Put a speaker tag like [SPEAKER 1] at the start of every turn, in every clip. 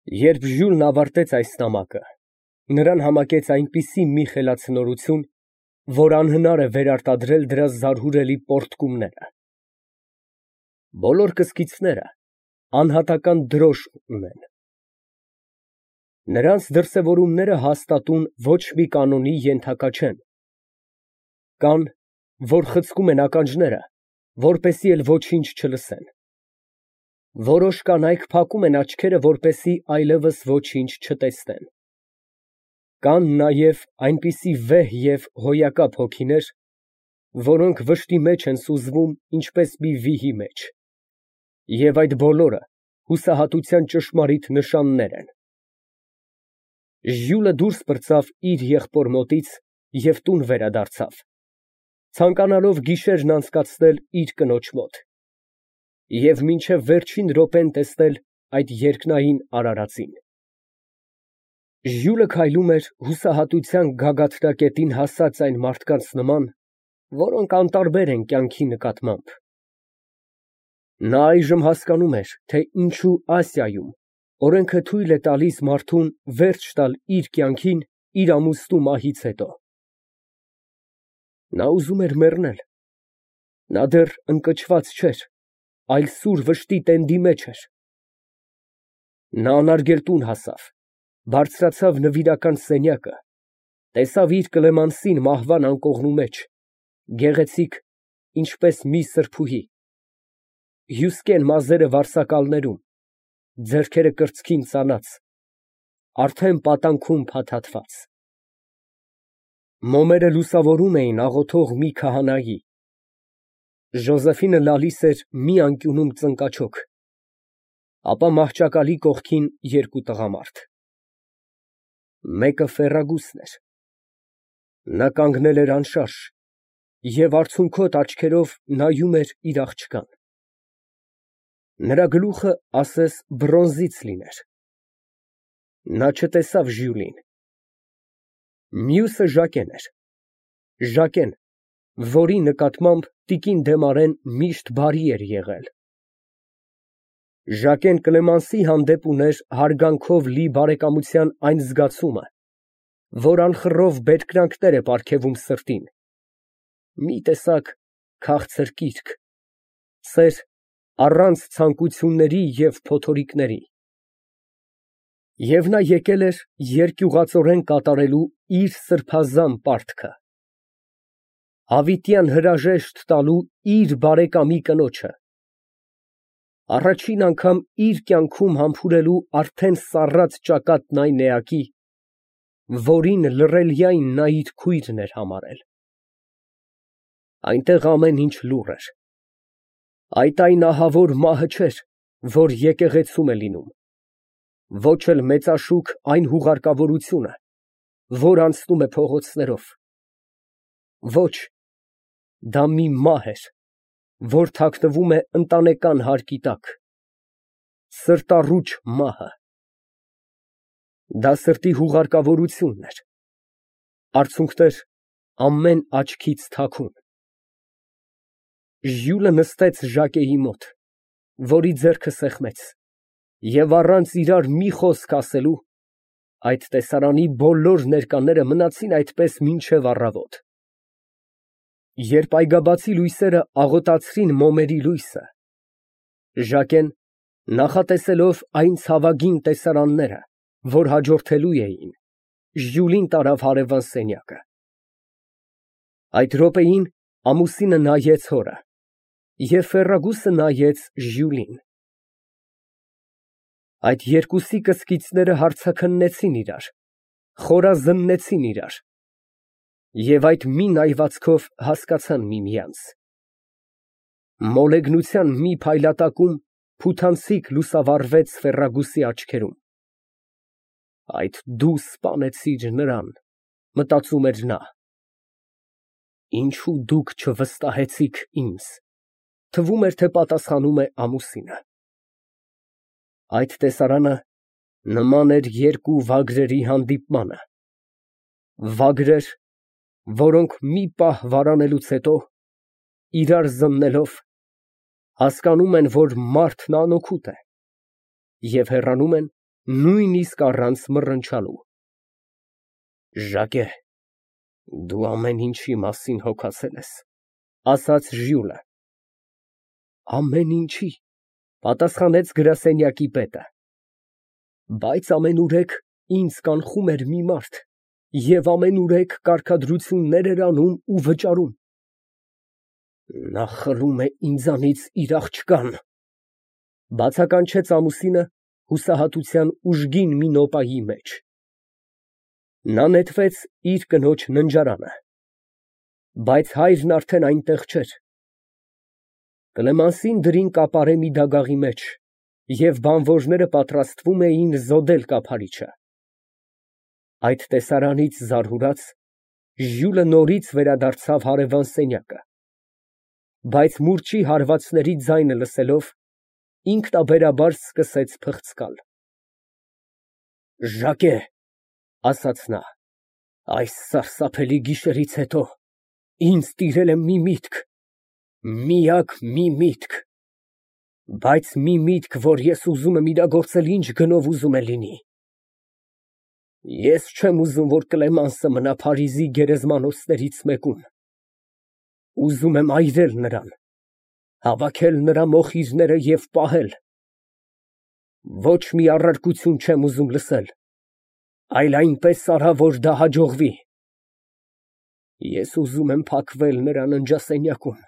[SPEAKER 1] Երբ Ժյուլն ավարտեց այս նամակը, նրան համակեց այնպիսի մի խելացնորություն, որ անհնար է վերարտադրել դրա զարհուրելի պոռթկումները։ Բոլոր կսկիցները անհատական դրոշ ունեն։ Նրանց դրսևորումները հաստատուն ոչ մի կանոնի ենթակա չեն։ Կան, որ խցկում են ականջները, որպեսզի էլ ոչինչ չլսեն։ Որոշ կանայք փակում են աչքերը, որպեսզի այլևս ոչինչ չտեսնեն։ Կան նաև այնպիսի վեհ և հոյակապ հոգիներ, որոնք վշտի մեջ են սուզվում, ինչպես մի վիհի մեջ, և այդ բոլորը հուսահատության ճշմարիտ նշաններ են։ Ժյուլը դուրս պրծավ իր եղբոր մոտից և տուն վերադարձավ, ցանկանալով գիշերն անցկացնել իր կնոջ մոտ և մինչև վերջին րոպեն տեսնել այդ երկնային արարածին։ Ժյուլը քայլում էր հուսահատության գագաթնակետին հասած այն մարդկանց նման, որոնք անտարբեր են կյանքի նկատմամբ։ Նա այժմ հասկանում էր, թե ինչու Ասիայում օրենքը թույլ է տալիս մարդուն վերջ տալ իր կյանքին իր ամուսնու մահից հետո։ Նա ուզում էր մեռնել։ Նա դեռ ընկճված չէր, այլ սուր վշտի տենդի մեջ էր։ Նա անարգել տուն հասավ, բարձրացավ նվիրական սենյակը, տեսավ իր Կլեմանսին մահվան անկողնու մեջ, գեղեցիկ, ինչպես մի սրբուհի, հյուսկեն մազերը վարսակալներում, ձեռքերը կրծքին ծանած, արդեն պատանքում փաթաթված։ Մոմերը լուսավորում էին աղոթող մի քահանայի։ Ժոզեֆինը լալիս էր մի անկյունում ծնկաչոք, ապա մահճակալի կողքին երկու տղամարդ։ Մեկը Ֆերրագուսն էր։ Նա կանգնել էր անշարժ և արցունքոտ աչքերով նայում էր իր աղջկան։ Նրա գլուխը ասես բրոնզից լիներ։ Նա չտեսավ Ժյուլին։ Մյուսը Ժակեն էր։ Ժակեն, որի նկատմամբ տիկին Դեմարեն միշտ բարի էր եղել։ Ժակեն Կլեմանսի հանդեպ ուներ հարգանքով լի բարեկամության այն զգացումը, որ անխռով բերկրանքներ է պարգևում սրտին, մի տեսակ քաղցր կիրք, սեր առանց ցանկությունների և փոթորիկների։ Եվ նա եկել էր երկյուղածորեն կատարելու իր սրբազան պարտքը, հավիտյան հրաժեշտ տալու իր բարեկամի կնոջը, առաջին անգամ իր կյանքում համբուրելու արդեն սառած ճակատն այն էակի, որին լռելյայն նա իր քույրն էր համարել։ Այնտեղ ամեն ինչ լուռ էր։ Այդ այն ահավոր մահը չէր, որ եկեղեցում է լինում, ոչ էլ մեծաշուք այն հուղարկավորությունը, որ անցնում է փողոցներով։ Ոչ, դա մի մահ էր, որ թաքնվում է ընտանեկան հարկի տակ, սրտառուչ մահը։ Դա սրտի հուղարկավորությունն էր, արցունքներ ամեն աչքից թաքուն։ Ժյուլը նստեց Ժակեի մոտ, որի ձեռքը սեղմեց, և առանց իրար մի խոսք ասելու, այդ տեսարանի բոլոր ներկաները մնացին այդպես մինչև առավոտ։ Երբ այգաբացի լույսերը աղոտացրին մոմերի լույսը, Ժակեն, նախատեսելով այն ցավագին տեսարանները, որ հաջորդելու էին, Ժյուլին տարավ հարևան սենյակը։ Այդ րոպեին ամուսինը նայեց հորը, և Ֆերրագուսը նայեց Ժյուլին։ Այդ երկուսի կսկիցները հարցաքննեցին իրար, խորազննեցին իրար և այդ մի նայվածքով հասկացան միմյանց։ Մոլեգնության մի փայլատակում փութանցիկ լուսավառվեց Ֆերրագուսի աչքերում։ Այդ դու սպանեցիր նրան, մտածում էր նա։ Ինչո՞ւ դուք չվստահեցիք ինձ, թվում էր, թե պատասխանում է ամուսինը։ Այդ տեսարանը նման էր երկու վագրերի հանդիպմանը, վագրեր, որոնք մի պահ վարանելուց հետո, իրար զննելով, հասկանում են, որ մարդն անօգուտ է և հեռանում են նույնիսկ առանց մռնչալու։ Ժակե, դու ամեն ինչի մասին հոգացել ես, ասաց Ժյուլը։ Ամեն ինչի, պատասխանեց գրասենյակի պետը։ Բայց ամենուրեք ինձ կանխում էր մի մարդ և ամենուրեք կարգադրություններ էր անում ու վճարում։ Նա խլում է ինձանից իր աղջկան, բացականչեց ամուսինը հուսահատության ուժգին մի նոպայի մեջ։ Նա նետվեց իր կնոջ ննջարանը, բայց հայրն արդեն այնտեղ չէր։ Կլեմենսին դրին կապարե մի դագաղի մեջ, և բանվորները պատրաստվում էին զոդել կափարիչը։ Այդ տեսարանից զարհուրած, Ժյուլը նորից վերադարձավ հարևան սենյակը, բայց մուրճի հարվածների ձայնը լսելով, ինքնաբերաբար սկսեց փղծկալ։ Ժակե, ասաց նա, այս սարսափելի գիշերից հետո ինձ տիրել է մի միտք, միակ մի միտք, բայց մի միտք, որ ես ուզում եմ իրագործել ինչ գնով ուզում է լինի։ Ես չեմ ուզում, որ Կլեմանսը մնա Փարիզի գերեզմանոցներից մեկում։ Ուզում եմ այրել նրան, հավաքել նրա մոխիրները և պահել։ Ոչ մի առարկություն չեմ ուզում լսել, այլ այնպես արա, որ դա հաջողվի։ Ես ուզում եմ փակվել նրա ննջասենյակում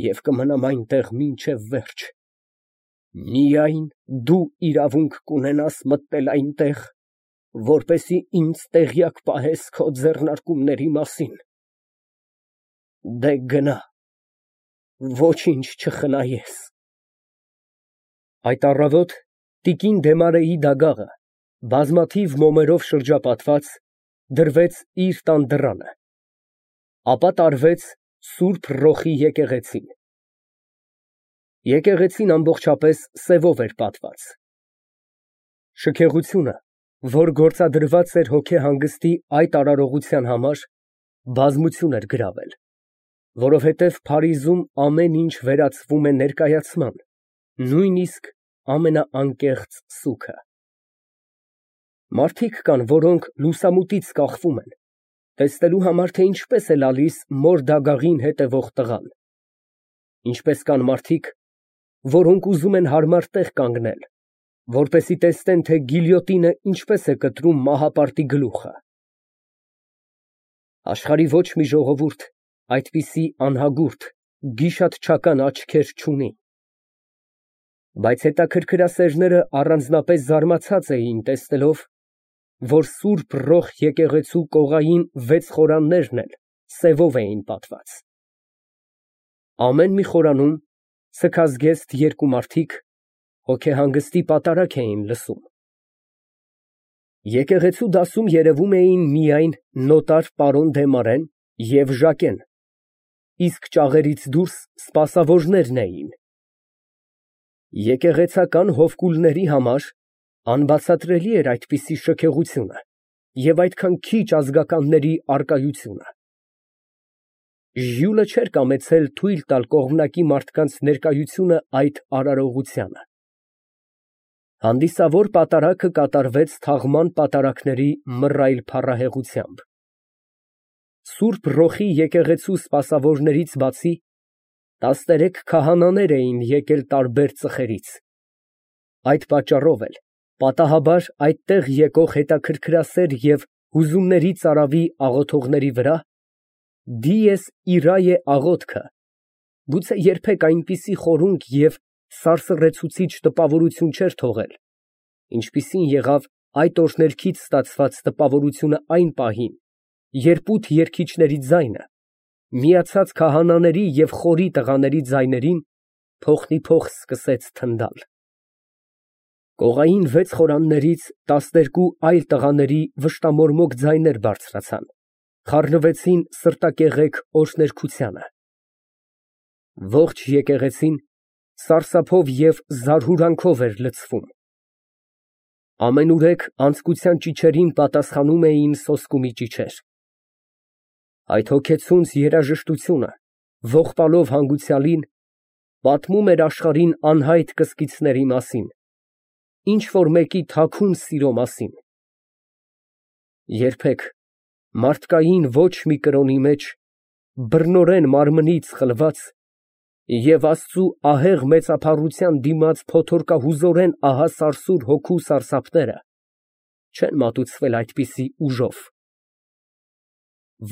[SPEAKER 1] և կմնամ այնտեղ մինչև վերջ։ Միայն դու իրավունք կունենաս մտնել այնտեղ, որպեսզի ինձ տեղյակ պահես քո ձեռնարկումների մասին։ Դե գնա, ոչինչ չխնայես։ Այդ առավոտ տիկին Դեմարեի դագաղը, բազմաթիվ մոմերով շրջապատված, դրվեց իր տան դռանը, ապա տարվեց Սուրբ Ռոխի եկեղեցին։ Եկեղեցին ամբողջապես սևով էր պատված։ Շքեղությունը, որ գործադրված էր հոգեհանգստի այդ արարողության համար, բազմություն էր գրավել, որովհետև Փարիզում ամեն ինչ վերածվում է ներկայացման, նույնիսկ ամենաանկեղծ սուգը։ Մարդիկ կան, որոնք լուսամուտից կախվում են, տեսնելու համար, թե ինչպես է լալիս մոր դագաղին հետևող տղան։ Ինչպես կան մարդիկ, որոնք ուզում են հարմար տեղ կանգնել, որպեսզի տեսնեն, թե գիլյոտինը ինչպես է կտրում մահապարտի գլուխը։ Աշխարհի ոչ մի ժողովուրդ այդպիսի անհագուրդ, գիշատչական աչքեր չունի։ Բայց հետաքրքրասերները առանձնապես զարմացած էին տեսնելով, որ Սուրբ Ռոխ եկեղեցու կողային 6 խորաններն էլ սևով էին պատված։ Ամեն մի խորանում սքազգեստ երկու մարդիկ հոգեհանգստի պատարագ էին լսում։ Եկեղեցու դասում երևում էին միայն նոտար պարոն Դեմարեն և Ժակեն, իսկ ճաղերից դուրս սպասավորներն էին։ Եկեղեցական հովկուլների համար անբացատրելի էր այդպիսի շքեղությունը և այդքան քիչ ազգականների առկայությունը։ Ժյուլը չէր կամեցել թույլ տալ կողմնակի մարդկանց ներկայությունը այդ արարողությանը։ Հանդիսավոր պատարագը կատարվեց թաղման պատարագների մռայլ փառահեղությամբ։ Սուրբ Ռոխի եկեղեցու սպասավորներից բացի 13 քահանաներ էին եկել տարբեր ծխերից։ Այդ պատճառով էլ պատահաբար այդտեղ եկող հետաքրքրասեր և հուզումների ծարավի աղոթողների վրա «Դիես իրայե» աղոթքը գուցե երբեք այնպիսի խորունկ և սարսռեցուցիչ տպավորություն չէր թողել, ինչպիսին եղավ այդ օրհներգից ստացված տպավորությունը այն պահին, երբ ութ երգիչների ձայնը, միացած քահանաների և խորի տղաների ձայներին, փոխնիփոխ սկսեց թնդալ։ Կողային 6 խորաններից 12 այլ տղաների վշտամորմոք ձայներ բարձրացան, խառնվեցին սրտակեղեք օրհներգությանը։ Ողջ եկեղեցին սարսափով և զարհուրանքով էր լցվում։ Ամենուրեք անձկության ճիչերին պատասխանում էին սոսկումի ճիչեր։ Այդ հոգեցունց երաժշտությունը, ողբալով հանգուցյալին, պատմում էր աշխարհին անհայտ կսկիցների մասին, ինչ-որ մեկի թաքուն սիրո մասին։ Երբեք մարդկային ոչ մի կրոնի մեջ, բռնորեն մարմնից խլված և Աստծու ահեղ մեծափառության դիմաց փոթորկահուզորեն ահասարսուր հոգու սարսափները չեն մատուցվել այդպիսի ուժով։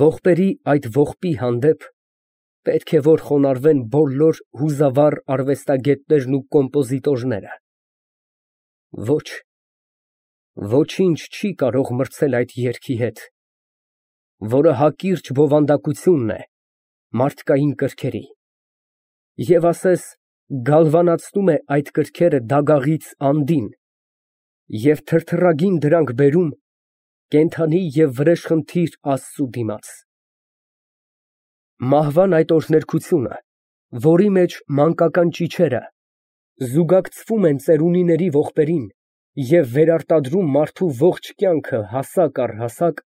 [SPEAKER 1] Ողբերի այդ ողբի հանդեպ պետք է որ խոնարհվեն բոլոր հուզավառ արվեստագետներն ու կոմպոզիտորները։ Ոչ, ոչինչ չի կարող մրցել այդ երգի հետ, որը հակիրճ բովանդակությունն է մարդկային կրքերի, և ասես գալվանացնում է այդ կրքերը դագաղից անդին և թրթռագին դրանք բերում կենդանի և վրեժխնդիր Աստծու դիմաց։ Մահվան այդ օրհներգությունը, որի մեջ մանկական ճիչերը զուգակցվում են ծերունիների ողբերին և վերարտադրում մարդու ողջ կյանքը հասակ առ հասակ,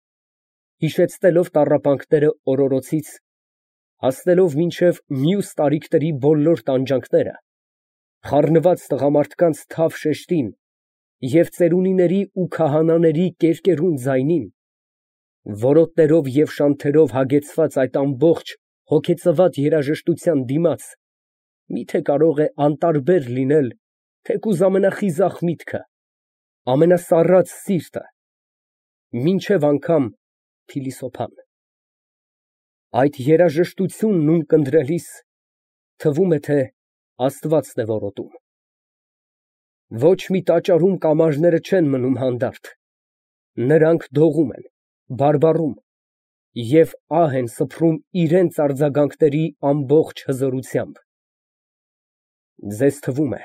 [SPEAKER 1] հիշեցնելով տառապանքները օրորոցից, հասնելով մինչև մյուս տարիքների բոլոր տանջանքները, խառնված տղամարդկանց թավ շեշտին և ծերունիների ու քահանաների կերկերուն ձայնին, որոտներով և շանթերով հագեցված այդ ամբողջ հոգեծված երաժշտության դիմաց, միթե կարող է անտարբեր լինել թեկուզ ամենախիզախ միտքը, ամենասառած սիրտը, մինչև անգամ փիլիսոփան։ Այդ երաժշտությունն ունկնդրելիս թվում է, թե Աստվածն է որոտում։ Ոչ մի տաճարում կամարները չեն մնում հանդարտ, նրանք դողում են, բարբառում և ահ են սփռում իրենց արձագանքների ամբողջ հզորությամբ։ Ձեզ թվում է,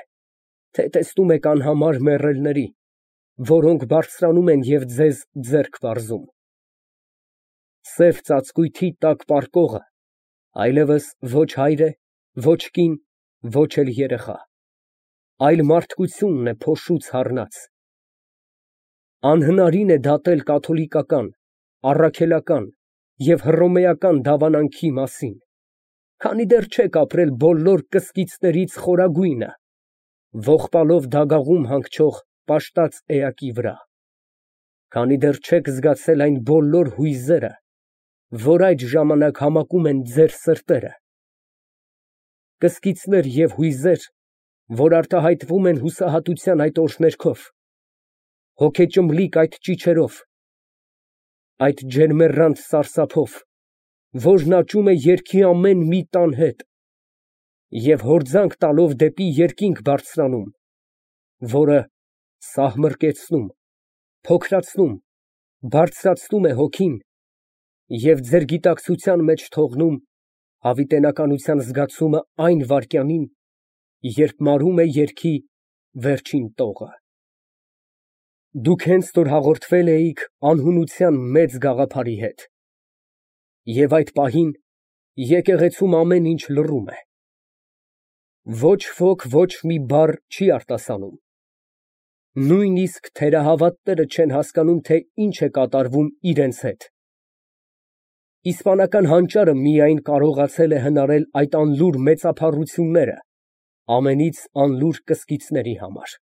[SPEAKER 1] թե տեսնում եք անհամար մեռելների, որոնք բարձրանում են և ձեզ ձեռք պարզում։ Սև ծածկույթի տակ պառկողը այլևս ոչ հայր է, ոչ կին, ոչ էլ երեխա, այլ մարդկությունն է փոշուց հառնած։ Անհնարին է դատել կաթոլիկական, առաքելական և հռոմեական դավանանքի մասին, քանի դեռ չեք ապրել բոլոր կսկիծներից խորագույնը, ողբալով դագաղում հանգչող պաշտած էակի վրա, քանի դեռ չեք զգացել այն բոլոր հույզերը, որ այդ ժամանակ համակում են ձեր սրտերը, կսկիծներ և հույզեր, որ արտահայտվում են հուսահատության այդ օրհներգով, հոգեճմլիկ այդ ճիչերով, այդ ջերմեռանդ սարսափով, որն աճում է երգի ամեն մի տան հետ և հորձանք տալով դեպի երկինք բարձրանում, որը սահմռկեցնում, փոքրացնում, բարձրացնում է հոգին և ձեր գիտակցության մեջ թողնում հավիտենականության զգացումը այն վայրկյանին, երբ մարում է երգի վերջին տողը։ Դուք հենց որ հաղորդվել էիք անհունության մեծ գաղափարի հետ, և այդ պահին եկեղեցում ամեն ինչ լռում է։ Ոչ ոք ոչ մի բառ չի արտասանում, նույնիսկ թերահավատները չեն հասկանում, թե ինչ է կատարվում իրենց հետ։ Իսպանական հանճարը միայն կարողացել է հնարել այդ անլուր մեծափառությունները ամենից անլուր կսկիծների համար։